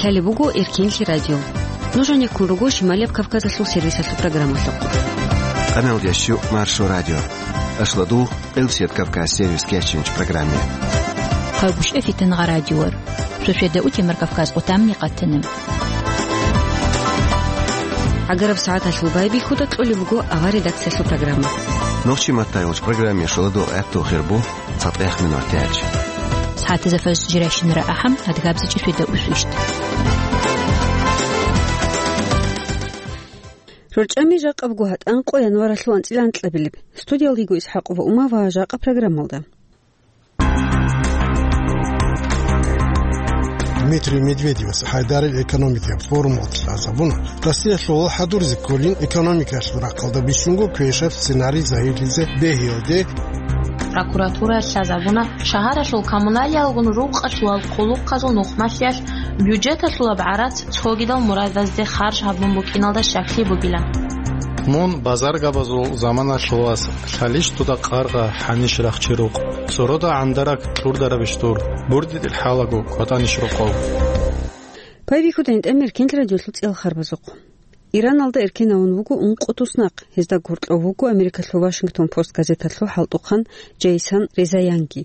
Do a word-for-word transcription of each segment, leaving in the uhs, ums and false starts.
Гьале буго Эркенлъи радио. Нуж гьанеккун руго Шималияб Кавказалъул сервисалъул программалъухъ. Къаналда щу Маршо радио. Ашладу Къилсият Кавказ сервис кечинч программе. Хъагушев Фитангъа радиор. Шошеда утемар Кавказ къутамни къатана. Агараб сагӀаталъул байбихьуда кьолеб буго авар редакциялъул программа. Нохчи маттайгъуч программе шоладу гӀатту хирбу цатӀех минутиялъ. СагӀатазда фарз жирайщинара ахӀам, адгабзичӀи шведа усвищт. РорчӀами жакъабго гьатӀан къо январалъул анцӀила анкьабилеб. Студиялдиго ИсхӀакъова Ума ва жакъа программалда. Дмитрий Медведевас ХӀайдарил экономикияб форумалда лъазабуна, Россиялъул хӀадурзе кколин экономикалъул рахъалда бищунго квешаб сценарий загьирлъизе бегьиялде. Прокуратуралъ лъазабуна шагьаралъул коммуналиялгун рукъалъувал хъулухъазул нухмалъиялъ бюджеталъулаб гӀарац цогидал мурадазде харж гьабун букӀиналда щаклъи бугилан. Мун базаргабазул заманалъул вас, лъалищ дуда къаркъа, гьанищ рахчи рукъ. Цорода гӀандараг кьурдарабищ дур, бурдидил хӀалаго кӀватӀанищ рокъов. Байбихьуда гьитӀа Эркенлъи радиолъул цӀел харбазухъ. Ираналда эркенавун вуго ункъо туснахъ, гьезда гуркьав вуго Америкалъул Вашингтон Пост газеталъул хӀалтӀухъан Джейсон Резаянги.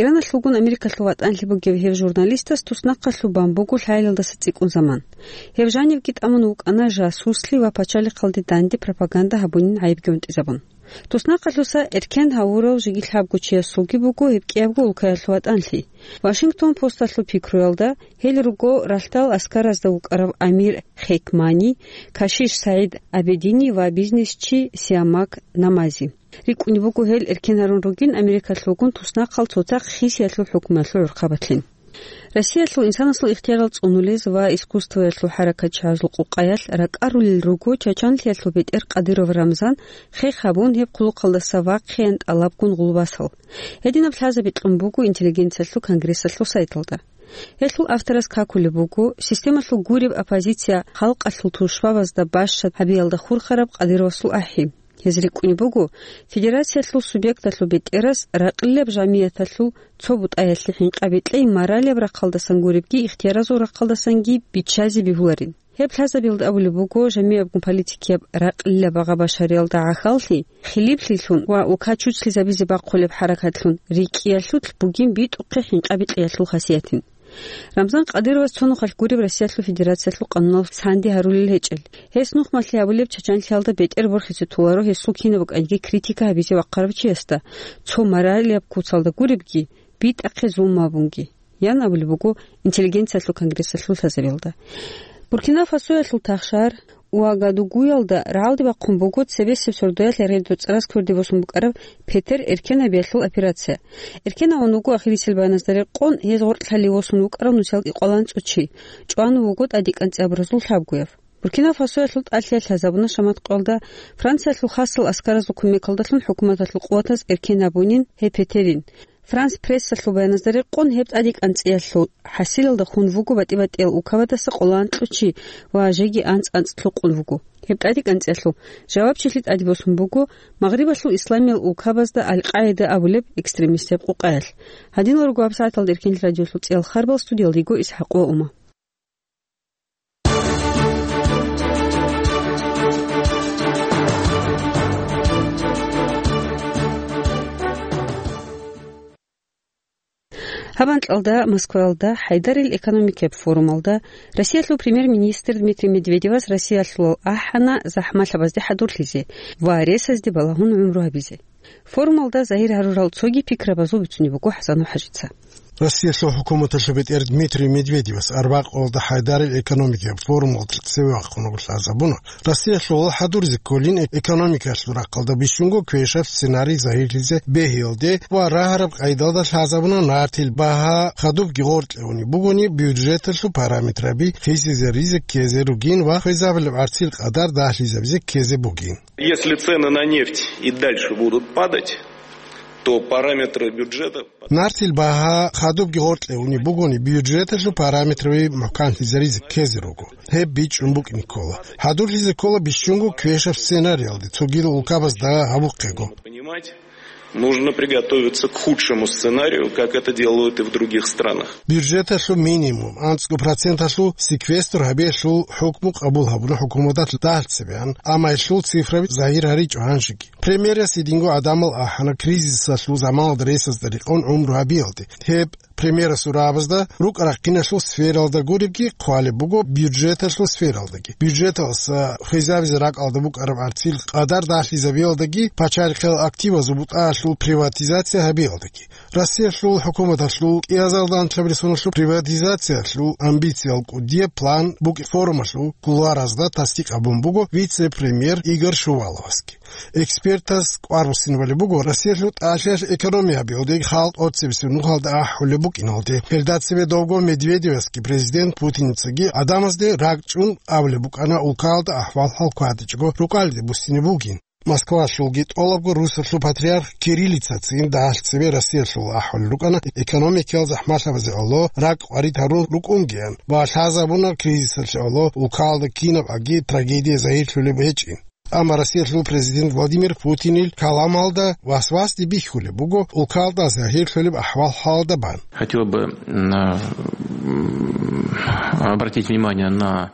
Ираналъулгун Америкалъул ватӀанлъи бугев гьев журналистас туснахъалъуб бан буго лъайилалдаса цӀикӀкӀун заман. Гьев жанивги тӀамун вукӀана жасуслъи ва пачалихъалде данде пропаганда гьабунин гӀайибги унтӀизабун. Туснахъалъуса эркен гьавурав жеги лъабго чиясулги буго гьеб кӀиябго улкаялъул ватӀанлъи. Вашингтон Посталъул пикруялда, гьел руго ралъдал аскаразда вукӀарав амир Хекмани, кашиш СагӀид Абедини ва бизнесчи Сиамак Намази. РикӀкӀунеб буго гьел эркен гьарун ругин Америкалъулгун туснахъал цоцахъ хисиялъул хӀукмуялъул гӀурхъабатлъин. Россиялъул инсанасул ихтиярал цӀунулез ва искусствоялъул хӀаракатчагӀазул къукъаялъ ракӀарулел руго чачанлъиялъул бетӀер Кадыров Рамзан хех гьабун гьеб хъулухъалдаса вахъеян тӀалабгун гъулбасал. Гьединаб лъазаби кьун буго интеллигенциялъул конгрессалъул сайталда. Гьелъул авторас какулеб буго системалъул гуреб оппозиция халкъалъул тушбабазда бащад гьабиялда хурхараб Кадыровасул ахӀи. Гьез рикӀкӀунеб буго, федерациялъул субъекталъул бетӀерас ракьилаб жамияталъул цо бутӀаялъе хӀинкъаби кьей моралияб рахъалдасан гуребги ихтияразул рахъалдасанги биччазе бегьуларин. Гьеб лъазабиялда абулеб буго, жамиябгун политикияб ракьилаб багъа-башариялда гӀахьаллъи, хилиплъилъун ва улка чучлъизабизе бахъулеб хӀаракатлъун рикӀкӀиялъулъ бугин битӀухъе хӀинкъаби кьеялъул хасиятин. Рамзан Кадыровас цо нухалъ гуреб Россиялъул Федерациялъул къануналъ санди гьарулел гьечӀел. Гьес нухмалъи гьабулеб чачанлъиялда бетӀер борхизе толаро гьесул кинаб букӀанги критика гьабизе вахъарав чиясда, цо моралияб куцалда гуребги, битӀахъе зулму абунги, ян абулеб буго интеллигенциялъул конгрессалъул лъазабиялда. Буркина-Фасоялъул тахшар Уагадугуялда рагӀалде бахъун буго цебесеб сордоялъ гьерги доцӀарас кверде босун букӀараб Петер эркенабиялъул операция. Эркенавун вуго ахирисел баяназда рекъон гьез гъоркьлъалев восун вукӀарав нусиялда кӀикъоялда анцӀго чи, чӀван вуго тӀадекӀанцӀи абуразул лъабгояв. Буркина-Фасоялъул тӀалъиялъ лъазабуна шамат къоялда Франциялъул хасал аскаразул кумекалдалъун хӀукуматалъул къуватаз эркен абунин гьеб Петерин. Франс Прессалъул баяназда рекъон, гьеб тӀадекӀанцӀиялъул хӀасилалда хун вуго батӀи-батӀиял улкабадаса кӀикъоялда анцӀго чи ва жеги анцӀ-анцӀ лъукъун вуго. Гьеб тӀадекӀанцӀиялъул жавабчилъи тӀаде босун буго Магърибалъул исламиял улкабазда Аль-Къаида абулеб экстремистияб къукъаялъ. Гьадинал руго гьабсагӀаталда Эркенлъи радиолъул цӀел харбал, студиялда йиго ИсхӀакъова Ума. Гьаб анкьалда Москваялда ХӀайдарил экономикияб форумалда Россиялъул премьер-министр Дмитрий Медведевас Россиялъулал ахӀана захӀмалъабазде хӀадурлъизе ва ресазде балагьун гӀумру гьабизе. Форумалда загьир гьарурал цоги пикрабазул бицунеб буго ХӀасанов ХӀажица. Россиялъул хӀукуматалъул бетӀер Дмитрий Медведевас арбякъалда ХӀайдарил экономикияб форумалда цеве вахъун вуго лъазабуна Россиялъул хӀадурзе кколин экономикалъул рахъалда бищунго квешаб сценарий загьирлъизе бегьиялде ва рагьараб къайдалда лъазабуна нартил багьа хадубги гъоркье унеб бугони бюджеталъул параметраби хисизаризе ккезе ругин ва хвезабилеб гӀарцил къадар дагьлъизабизе ккезе бугин. Если цены на нефть и дальше будут падать, то параметры бюджета... Нартил багьа хадубги гъоркье унеб бугони, бюджеталъул параметраби мухӀканлъизаризе ккезе руго. Гьеб бичӀчӀун букӀине ккола. ХӀадурлъизе ккола бищунго квешаб сценариялде цогидал улкабазда гьабухъего. Понимать, Нужно приготовиться к худшему сценарию, как это делают и в других странах. Бюджеталъул минимум анцӀго проценталъул секвестр гьабиялъул хӀукму къабул гьабуна хӀукуматалъ дагьлъцебеян, амма гьелъул цифраби загьир гьаричӀо гьанжеги. Премьерас гьединго гӀадамал ахӀана кризисалъул заманалда ресазда рекъон гӀумру гьабиялде. Гьеб премьерасул рагӀабазда рукӀа-рахъиналъул сфералда гуребги хъвалеб буго, бюджеталъул сфералдаги. Бюджеталъ хвезабизе ракӀалда букӀараб гӀарцил къадар дагьлъизабиялдаги пачарихъел активазул бутӀаялъул приватизация гьабиялдаги. Россиялъул хӀукуматалъул кӀиазалда анлъабилеб соналъул приватизациялъул амбициял кӀудияб план букӀин форумалъул кулуаразда тасдикъ гьабун буго вице-премьер Игорь Шуваловасги. Экспертаз кӀвар буссинабулеб буго Россиялъул тӀалъиялъ экономия гьабиялде, халкъ тӀоцебесеб нухалда ахӀулеб букӀиналде. Гьелда цебе довго Медведевасги президент Путиницаги гӀадамазде ракӀчӀун абулеб букӀана улкалда ахӀвал-хӀал кватӀичӀого рукӀалде буссине бугин. Москвалъулги тӀолабго Русалъул патриарх Кириллицацин дагьлъцебе Россиялъул ахӀулел рукӀана экономикиял захӀмалъабазе гӀоло ракӀ къварид гьарун рукӀунгеян ва лъазабуна кризисалъе гӀоло улкалда кинаб аги трагедия загьирлъулеб гьечӀин. Амма Россиялъул президент Владимир Путинил каламалда васвасде бихьулеб буго улкалда загьирлъулеб ахӀвал-хӀалалда бан. Хотел бы на, м, обратить внимание на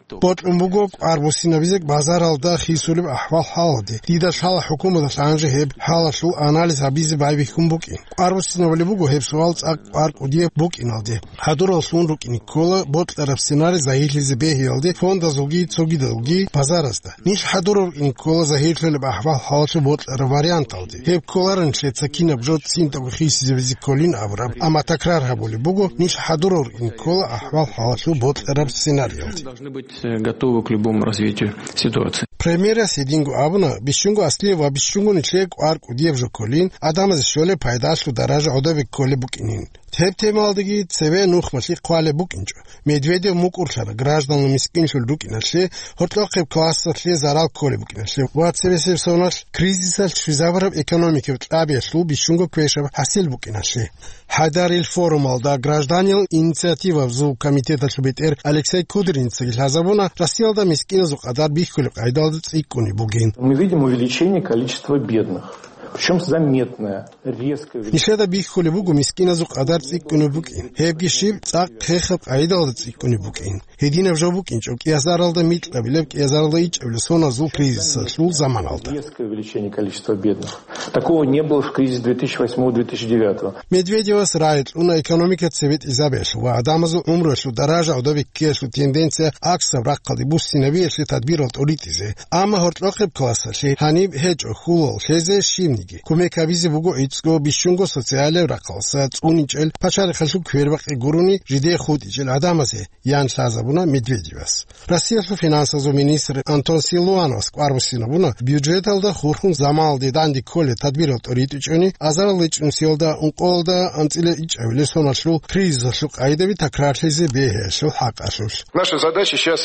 то. Бокьун буго кӀвар буссинабизе базаралда хисулеб ахӀвал-хӀалалде. Дида лъала хӀукуматалъ гьанже гьеб хӀалалъул анализ гьабизе байбихьун букӀин. КӀвар буссинабулеб буго гьеб суал цӀакъ кӀвар кӀудияб букӀиналде. ХӀадураллъун рукӀине ккола бокьараб сценарий загьирлъизе бегьиялде фондазулги цогидалги базаразда. Нилъ хӀадурав рукӀине ккола загьирлъулеб ахӀвал-хӀалалъул бокьараб варианталде. Гьеб кколарин нилъеца кинаб жо цинтӀаго хисизабизе кколин абураб, амма такрар гьабулеб буго нилъ хӀадурав рукӀине ккола ахӀвал-хӀалалъул бокьараб сценариялде. Должны быть, э, готовы к любому развитию ситуации. Премьерас гьединго абуна, бищунго аслияб ва бищунго нилъер кӀвар кӀудияб жо кколин, гӀадамазе щолеб пайдалъул даража гӀодобе кколеб букӀинин. Гьеб темалдаги цеве нухмалъи хъвалеб букӀинчӀо. Медведев мукӀурлъана гражданал мискинлъун рукӀиналъе, гьоркьохъеб классалъе зарал кколеб букӀиналъе ва цебесеб соналъ кризисалъ щвезабураб экономикаб кьабиялъул бищунго квешаб хӀасил букӀиналъе. ХӀайдарил форумалда гражданиял инициативабазул комитеталъул бетӀер Алексей Кудриницаги лъазабуна Россиялда мискиназул къадар бихьулеб къагӀидалда цӀикӀкӀунеб бугин. Мы видим увеличение количества бедных, причём заметное, резкое увеличение. Нилъеда бихьулеб буго мискиназул къадар цӀикӀкӀунеб букӀин. Гьебги щиб цӀакъ хехаб къагӀидалда цӀикӀкӀунеб букӀин. Гьединаб жо букӀинчӀо кӀиазаралда микьабилеб, кӀиазаралда ичӀабилеб соназул кризисалъул заманалда. Резкое увеличение количества бедных. Такого не было в кризис две тысячи восьмого две тысячи девятого. Медведевас рагӀи кьуна экономика цебетӀизабиялъул ва гӀадамазул гӀумруялъул даража гӀодобе ккеялъул тенденция гӀаксаб рахъалде буссинабиялъе тадбирал тӀуритӀизе. Амма гьоркьохъеб классалъе гьаниб гьечӀо хьулал лъезе щибниги. Кумек гьабизе буго гӀицӀго бищунго социалияб рахъалъа цӀуничӀел, пачарихъалъул квербакъи гурони жидее хутӀичӀел гӀадамазе, ян лъазабуна Медведевас. Россиялъул финансазул министр Антон Силуановас кӀвар буссинабуна, бюджеталда хурхун заманалде данде кколел тадбирал тӀуритӀичӀони, азарал ичӀнусиялда ункъоялда анцӀила ичӀабилеб соналъул кризисалъул къагӀидаби такрарлъизе бегьиялъул хӀакъалъулъ. Наша задача сейчас,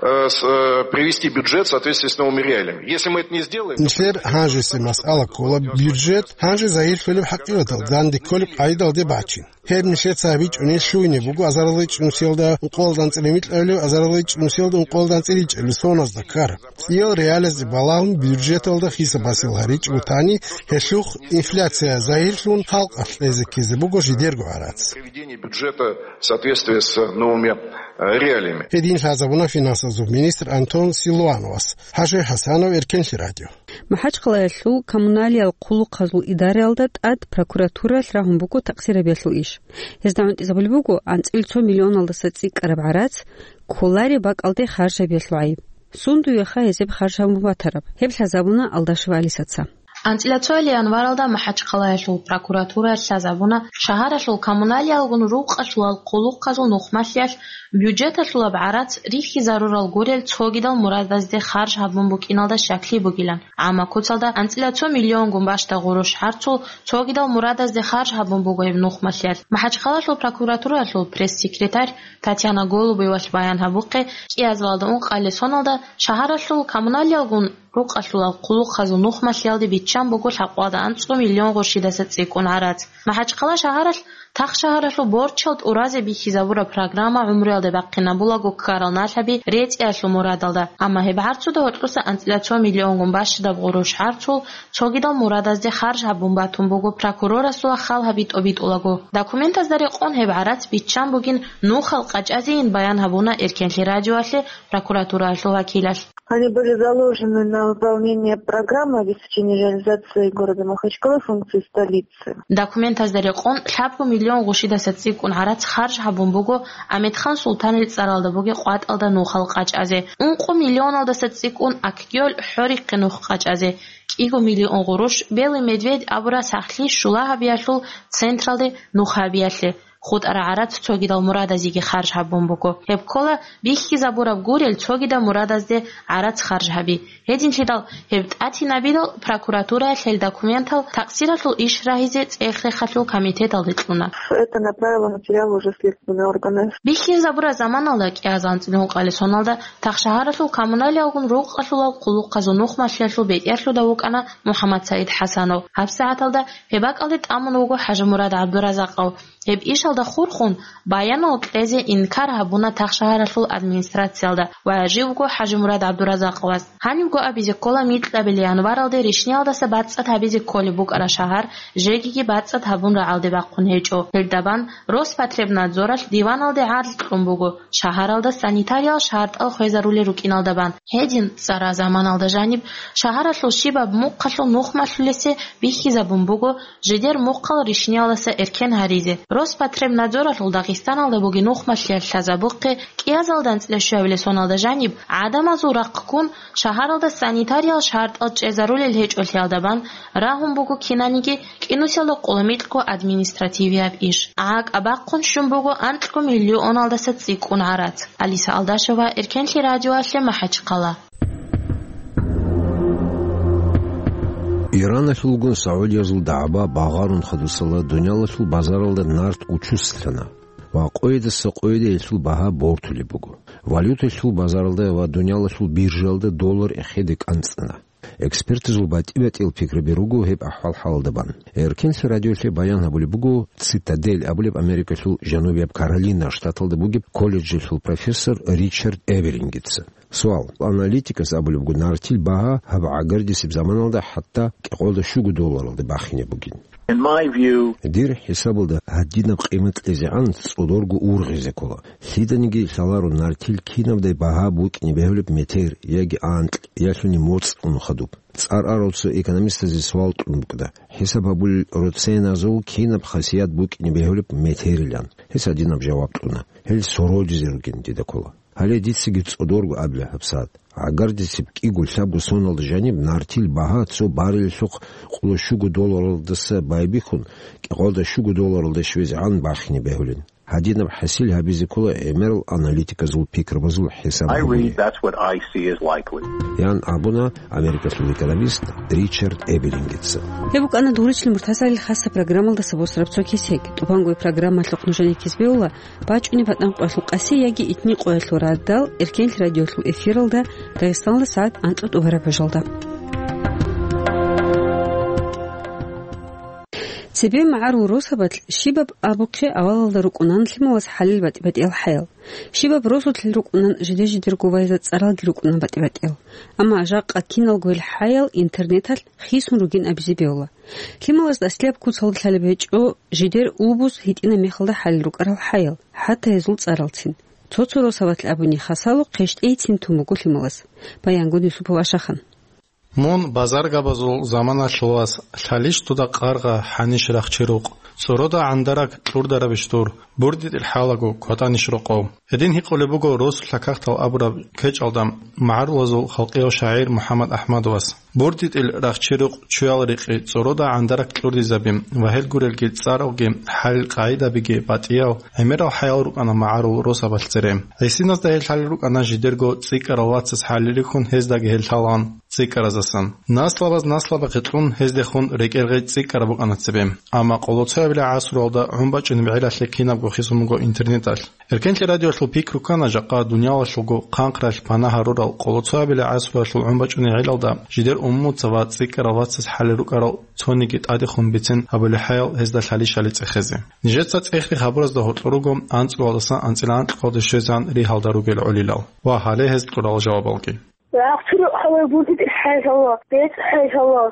э, с-, э, привести бюджет в соответствие с новыми реалиями. Если мы это не сделаем, то... Нилъер гьанжеси масъала ккола бюджет гьанже загьирлъулеб хӀакъикъаталда данде кколеб къагӀидалде бачин. Гьеб нилъеца гьабичӀони лъугьине буго азарилгъи чӀунусиялда ункъоялда анцӀила микьабилеб, азарилгъи чӀунусиялда ункъоялда анцӀила ичӀабилеб соназда ккараб. ЦӀиял реалиязде балагьун бюджеталда хисаб-хӀасил гьаричӀого тани, гьелъухъ инфляция загьирлъун халкъалъ кьезе ккезе буго жидерго гӀарац. Приведение бюджета в соответствие с новыми, э, реалиями. Гьедин лъазабуна финансазул министр Антон Силуановас. ХӀажи ХӀасанов, Эркенлъи радио. МахӀачхъалаялъул коммуналиял хъулухъазул идараялда тӀад прокуратуралъ рагьун буго такъсирабиялъул иш. Гьезда гӀунтӀизабулеб буго анцӀила цо миллионалдаса цӀикӀкӀараб гӀарац, кколареб бакӀалде харжабиялъул гӀайиб. Сундуеха гьезеб харж гьабун батараб? Гьеб лъазабуна Алдашева Алисаца. АнцӀила цоял январалда МахӀачхъалаялъул прокуратуралъ лъазабуна шагьаралъул коммуналиялгун рукъалъулал хъулухъазул нухмалъиялъ бюджеталъулаб гӀарац рихьизарурал гурел цогидал мурадазде харж гьабун букӀиналда щаклъи бугилан. Амма куцалда анцӀила цо миллионгун бащда гъурущ гӀарцул цогидал мурадазде харж гьабун буго гьеб нухмалъиялъ. МахӀачхъалалъул прокуратуралъул пресс-секретарь Татьяна Голубевалъ баян гьабухъе, кӀиазалда ункъабилеб соналда шагьаралъул коммуналиялгун Рукъалъулал хъулухъазул нухмалъиялде биччан буго лъабкъоялда анцӀго миллион гъурщидаса цӀикӀкӀун гӀарац. МахӀачхъала шагьаралъ тахшагьаралъул борчал тӀуразе бихьизабураб программа гӀумруялде бахъинабулаго ккарал налъаби рецӀиялъул мурадалда, амма гьеб гӀарцуда гьоркьоса анцӀила цо миллионгун бащадаб гъурущ гӀарцул цогидал мурадазде харж гьабун батун буго прокурорасул хал гьаби тӀобитӀулаго. Документазда рекъон гьеб гӀарац биччан бугин нухал къачӀазейин баян гьабуна Эркенлъи радиоялъе прокуратураялъул вакилалъ. Они были заложены на выполнение программы обеспечения реализации города Махачкалы функций столицы. Документазда рекъон лъабго миллион гъушидаса цӀикӀкӀун гӀарац харж гьабун буго Амедхан Султанил цӀаралда бугеб къватӀалда нухал къачӀазе, ункъо миллионалдаса цӀикӀкӀун Акгёл хӀорихъе нух къачӀазе, кӀиго миллион гъурущ Белый медведь абураб сахлъи щула гьабиялъул централде нух гьабиялъе. ХутӀараб гӀарац цогидал мурадазеги харж гьабун буго. Гьеб ккола бихьизабураб гурел цогидал мурадазде гӀарац харж гьаби. Гьединлъидал гьеб тӀатинабидал прокуратураялъ гьел документал такъсиралъул иш рагьизе цӀех-рехалъул комитеталде кьуна. Это направило материал уже в следственные органы. Бихьизабураб заманалда кӀиазанцӀил гьункъали соналда тахшагьаралъул коммуналиялгун рукъалъулал хъулухъазул нухмалъиялъул бетӀерлъуда вукӀана МухӀаммад Саид ХӀасанов. ГьабсагӀаталда гьеб бакӀалде тӀамун вуго ХӀажимурад ГӀабдуразакъов. Гьеб ишалда хурхун, баянал кьезе инкар гьабуна тахшагьаралъул администрациялда ва живго ХӀажимурад ГӀабдуразакъовас. Гьанибго абизе ккола, микьабилеб январалде ришниялдаса бацӀцӀад гьабизе кколеб букӀараб шагьар жегиги бацӀцӀад гьабун рагӀалде бахъун гьечӀо. Гьелдабан Роспотребнадзоралъ диваналде гӀарз кьун буго, шагьаралда санитариял шартӀал хвезарулел рукӀиналдабан. Гьедин, цӀара заманалда жаниб шагьаралъул щибаб мухъалъул нухмалъулесе бихьизабун буго жидер мухъал ришниялдаса эркен гьаризе. Роспотребнадзоралъул Дагъистаналда бугеб нухмалъиялъ лъазабухъе кӀиазалда анцӀила щуабилеб соналда жаниб гӀадамазул рахъ ккун шагьаралда санитариял шартӀал чӀезарулел гьечӀолъиялдабан рагьун буго кинаниги кӀинусиялда къулумикьго административияб иш. ГӀакӀ абахъун щун буго анкьго миллионалдаса цӀикӀкӀун гӀарац. Алиса Алдашева, Эркенлъи радиоялъе, МахӀачхъала. Ираналъулгун Саудиязул дагӀба багъарун хадусала дуниялалъул базаралда нарт учуслъана ва къойидаса къойиде гьелъул багьа бортулеб буго. Валюталъул базаралда ва дуниялалъул биржаялда доллар эхеде кӀанцӀана. Экспертазул батӀи-батӀиял пикраби руго гьеб ахӀвал-хӀалалда бан. Эркенлъи радиолъе баян гьабулеб буго Цитадель абулеб Америкалъул Жанубияб Каролина штаталда бугеб колледжалъул профессор Ричард Эберингица. Суал. Аналитикас абулеб буго, нартил багьа гьаб гӀагардисеб заманалда хӀатта кӀикъоялда щуго долларалде бахине бугин. In my view, дир хӀисабалда гьадинаб къимат кьезегӀан цӀодорго ургъизе ккола. Лъиданиги лъаларо нартил кинабдай багьа букӀине бегьулеб метер яги анкь ялъуни моцӀ ун хадуб. ЦӀар арал цо экономистазе суал кьун букӀана, хӀисаб гьабулел роценазул кинаб хасият букӀине бегьулеб метерилан. Гьес гьадинаб жаваб кьуна: гьел сородизе ругин дида ккола. Гьале дицаги цӀодорго абила гьабсагӀат. ГӀагардисеб кӀиго-лъабго соналда жаниб нартил багьа цо баррелалъухъ къоло щуго долларалдаса байбихьун, кӀикъоялда щуго долларалде щвезегӀан бахине бегьулин. Гьадинаб хӀасил гьабизе ккола гӀемерал аналитиказул пикрабазул хӀисаб гьабуни. I read, that's what I see is likely. Ян абуна Америкалъул экономист Ричард Эберингица. Гьеб букӀана Дугьричил муртазалил хасаб программалдаса босараб цо кесек. ТӀубангояб программалъухъ нужее ккезбеула бачӀунеб батӀан къоялъул къаси яги итни къоялъул радал Эркенлъи радиолъул эфиралда Дагъистаналда сагӀат анкьа тӀубараб бажалда. Цебе магӀарул росабалъ щибаб абухъе авалалда рукӀунан лъималаз хӀалил батӀи-батӀиял хӀаял. Щибаб росулъ рукӀунан жиде-жидерго вайза цӀаралги рукӀунан батӀи-батӀиял. Амма жакъа киналго гьел хӀаял интернеталъ хисун ругин абизе бегьула. Лъималаз дасилаб куцалда лъалеб гьечӀо жидер убус гьитӀинаб мехалда хӀалил рукӀарал хӀаял, хӀатта гьезул цӀаралцин. Цо-цо росабалъ абуни хасало хъещтӀейцин тун буго лъималаз. Баянгун Юсупов Ашахан. Мун базаргабазул заманалъулас лъалищ дуда къаргъа хӀанищ рахчи рукъ? ЦӀурода гӀандараг кьурдарабищ дур? БурдитӀил хӀалаго кватӀанищ рокъов? Гьедин гьикъулеб буго росулъа какдал абураб кечӀалда магӀарулазул халкъияв шагӀир МухӀаммад АхӀмадовас. БурдитӀил рахчи-рукъ, чуял рекъи, цӀорода гӀандарак кьурдизаби ва гьел гурелги цӀаралги, хӀалил къагӀидабиги батӀиял, гӀемерал хӀаял рукӀана магӀарул росабалъ цере. ГӀисиназда гьел лъалел рукӀана жидерго цӀикӀкӀарал вацас хӀалил рихьун, гьездаги гьел лъалаан цӀикӀкӀаразасан. Наслабаз наслабахъе кьун, гьездехун рекӀел гъей цӀикӀкӀараб букӀана цебе. Амма къолоцоябилеб гӀасруялда гӀун бачӀунеб гӀелалъе кинабго хисун буго интернеталъ. Эркенлъи радиоялъул пикру ккана жакъа дуниялалъулго хъанхъралъ пана гьарурал къолоцоябилеб гӀасруялъул гӀун бачӀунеб гӀелалда жидер умумуца ва цӀикӀкӀарал вацас хӀалел рукӀарал цониги тӀадехун бицин гьабулеб хӀаял гьезда лъалищали цӀехезе. Нижеца цӀех-рех гьабуразда гьоркьор руго анцӀгоялдасан анцӀила анкьгоялде щвезегӀан ригьалда ругел гӀолилал ва гьале гьез кьурал жавабалги. Рахчурухъ гьавай бурдитӀил хӀел гьава, бецӀ хӀел гьава,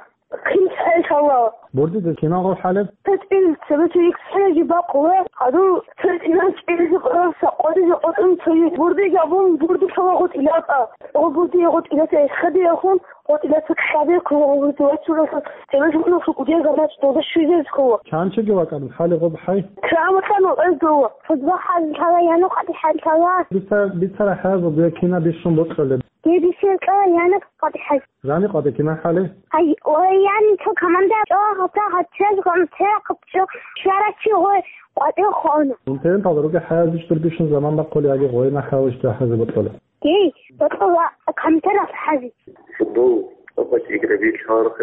хъинцӀ хӀел гьава. БурдитӀил киналго хӀалеб? Цо цӀил цебе цо йиксхӀинаги бакъула, гьадур цо цӀинан чӀезе къораса къодизе къотӀун цо йикь. Бурдиги абун бурди лъала гъутӀилатӀа. Гъо бурди гъутӀилатӀа эсхадиялъун, гъутӀилатӀа ккаде ккола гъо бурди вачуралъун, цебе жугьуналъул кӀудиял заманаца долда щвезезе ккола. Чанчиги вакӀараб хӀалеб гъоб хӀай? Краматан вакӀайдула. Фузба хӀал лъала, яна къватӀи хӀал лъала. Бица-, бицара хӀязул, дуе кина бищун бокьулеб? Дебисел кьала, яна къватӀи хӀал. Жани къватӀи кина хӀале? Ай, ой, яни цо команда чӀо, гьата гьачаз гъамтера къапчо, шарачи гъой къватӀи хона. Интернеталда руге хӀязич дур бищун заман бахъули аги гъойна хӀязич духӀазе бокьула. Гей, бокьула, камтера хӀази. Футбол, къватӀи играби, чарх,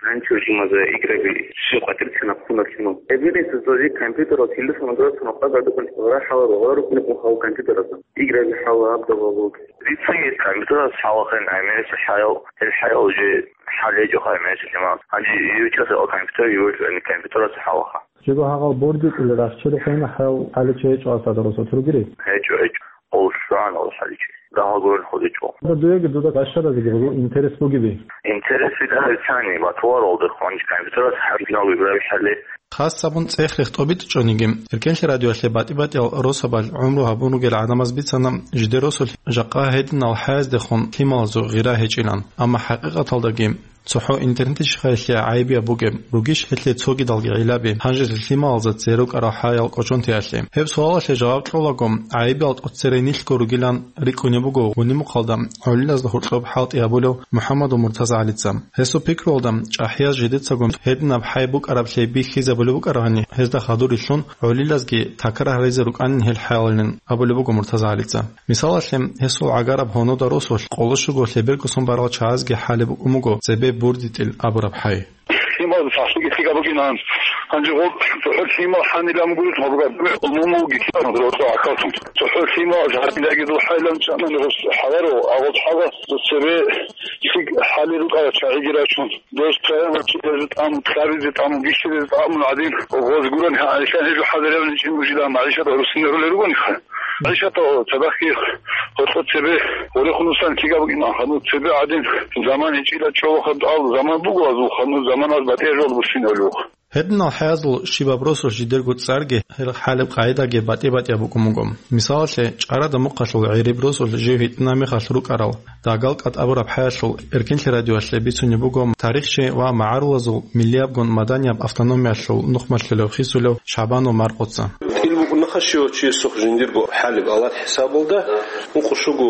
Раньше жимаза играби ши къватӀир цинаб хунар лъимал. Эбелин создавать компьютерал телефон грацун къагадукъун гъара хӀалар гъара рукӀун хал компьютераза. Играби хӀала абдалалуг. Рицин компьютераз хӀалахъен гӀемерисел хӀаял, гьел хӀаял уже хӀале жо гӀемерисел лъимал. Гьанже ючаса компьютер юрчӀани компьютераз хӀалаха. Жего гьагъал борги кӀули рахчел хвена хӀал хӀаличи гьечӀо асада росо тургири? ГьечӀо, гьечӀо. Къолъуан алхӀаличи. Дагьал гурел хъуличӀо. Дуеги дуда башаразеги гъугъу интерес бугеби? Интерес вида гьарцани, батуларал дехъ гьанже компьютерас хӀарбинал вибрабихӀалли. Хас гьабун цӀех-рех тӀобитӀичӀониги, Эркенлъи радиоялъе батӀи-батӀиял росабал гӀумру гьабун ругел гӀадамаз бицана, жидер росулъ жакъа гьединал хӀаяздехун лъималазул гъира гьечӀилан. Амма хӀакъикъаталдаги, ЦохӀо интернетищха гьелъие гӀайибияб бугеб, ругищ гьелъие цогидалги гӀиллаби? Гьанже лъималазда цере рукӀарал хӀаял кӀочон теялъе. Гьеб суалалъе жаваб кьолаго, гӀайибиял тӀоцере нилъго ругилан рикӀкӀунеб буго гьуниб мухъалда гӀолилазда гьоркьоб хӀалтӀи гьабулев МухӀаммадов МуртазагӀалица. Гьесул пикруялда, чӀахӀияз жидецаго гьединаб хӀай букӀараблъи бихьизабулеб букӀарабани, гьезда хадур рилълъун, гӀолилазги такрар гьаризе рукӀанин гьел хӀаялин, абулеб буго МуртазагӀалица. Мисалалъе, гьесул гӀагараб гьонуда росулъ къоло щуго лъеберго сон барал чагӀазги хӀалеб букӀун буго цебе бурдитӀил абураб хӀай. Лъимал сахлъиги лъикӀаб букӀинан. Гьанже гъоб цохӀо лъимал хӀанилан гурелъ гьабураб умумулги лъимал росо гӀахьаллъун. ЦохӀо лъимал гьанилаги духӀайлан чӀанани гъос хӀаларо, а гъоб хӀала цебе лъикӀ хӀали рукӀарал чагӀиги рачун. Дос таяна чӀезе тӀаму, кьабизе тӀаму, бищезе тӀаму гӀадин, гъоз гуран гьа-, гьелъан гьезул хӀаларав ничӀин бужилан магӀишат гьорусине рулел ругониха. ГӀишата цадахъги гьоркьо цебе гъорехун усан кига букӀина, ханур цебе гӀадин, заман гьечӀила чӀолохъаб ал заман буго азул, ханур заманаз батӀияб жал буссиналъухъ. Гьединал хӀязул щибаб росулъ жидерго цӀарги, гьел хӀалеб къагӀидаги батӀи-батӀияб букӀун буго. Мисалалъе, чӀарада мухъалъул гӀериб росулъ жив гьитӀинаб мехалъ рукӀарал, дагал кӀатӀ абураб хӀаялъул Эркенлъи радиоялъе бицунеб буго тарихчи ва магӀарулазул миллиябгун маданияб автономиялъул нухмалъулев хисулев ШагӀбанов Маркъоца. ТӀил букӀунаха щивав чиясухъ жиндирго хӀалеб алар хӀисабалда, ункъо щуго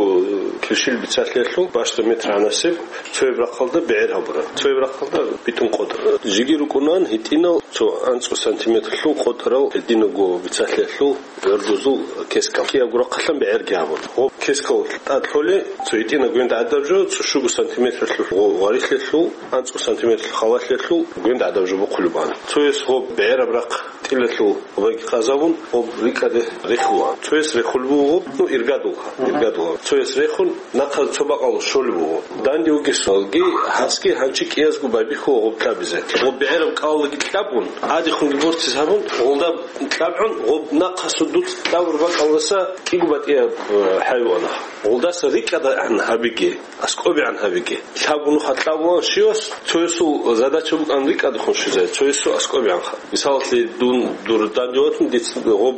килщил бицалъиялъул бащда метр гьанасеб, цояб рахъалда бегӀер гьабураб, цояб рахъалда битӀун къотӀараб. Жиги рукӀунан гьитӀинал цо анцӀго сантиметрлъул къотӀарал гьединавго бицалъиялъул гӀурдузул кескал. Киябго рахъалъан бегӀерги гьабун. Гъоб кескал тӀад лъоле, цо гьитӀина гвенда гӀадаб жо, цо щуго сантиметрлъул гъо-, гъварилъиялъул, анцӀго сантиметрлъул халалъиялъул гвенда гӀадаб жо бухъулеб бан. Цояс гъоб бегӀераб рахъ тӀилалъул гъобги къазабун, гъоб рикӀкӀаде рехула. Цояс рехулеб буго гъоб, ну, иргадулха, иргадулха. Цояс рехун, нахъа цо бакъалъ щолеб буго. Данде вугесалги, гьасги гьанчи кӀиязго байбихьула гъоб кьабизе. Гъоб бегӀераб кӀалалги кьабун, гӀадихъунги бортизе гьабун, гъолда кьабгӀун, гъоб нахъасул дуц кьабур бакӀалдаса кӀиго батӀияб, э, хӀайвана. Гъолдаса рикӀкӀадагӀан гьабиге, аскӀобегӀан гьабиге. Лъабго нуха кьабулан щивас, цоясул задача букӀан рикӀкӀадехун щвезе, цоясул аскӀобегӀанха. Мисалалъе, дун дур данде ватун, дица гъоб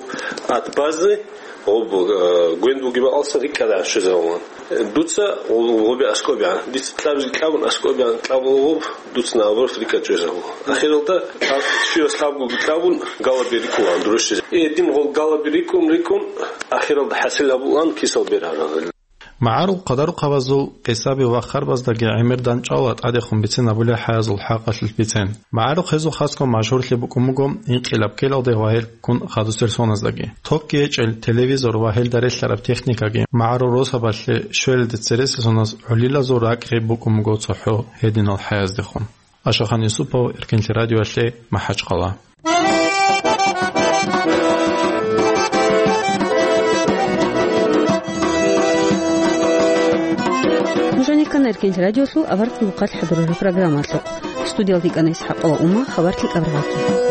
ат базни, гъоб, э, гвен бугеб бакӀалдасан рикӀкӀадегӀан щвезавулан. Дуца гъоб-, гъобе аскӀобегӀан. Дица кьабизе кьабун аскӀобегӀан кьабула гъоб, дуца наоборот рикӀкӀад чӀезавула. Ахиралда щивас лъабгоги кьабун, галаби рикӀкӀулан дурущизе. Э, дин гъол галаби рикӀкӀун, рикӀкӀун, ахиралда хӀасил гьабулан кисал бергьарал. МагӀарул къадарухъабазул къисаби ва харбаздаги гӀемер дандчӀвала тӀадехун бицин абулеб хӀаязул хӀакъалъулъ бицен. МагӀарухъ гьезул хасго машгьурлъи букӀун буго инкъилаб ккелалде вагьелккун хадусел соназдаги. Токги гьечӀел телевизор ва гьелда релълъараб техникаги магӀарул росабалъе щвелалде цересел соназ гӀолилазул ракӀги букӀун буго цохӀо гьединал хӀаяздехун. Ашахан Юсупов, Эркинлъи радиоялъе, МахӀачхъала. Нуж гьанир ккана Эркинлъи радиолъул аварагасул хъалихъ хӀадурараб программалъухъ. Студиялда йикӀана ИсхӀакъова Ума, хабар лъикӀаб рагӀаги.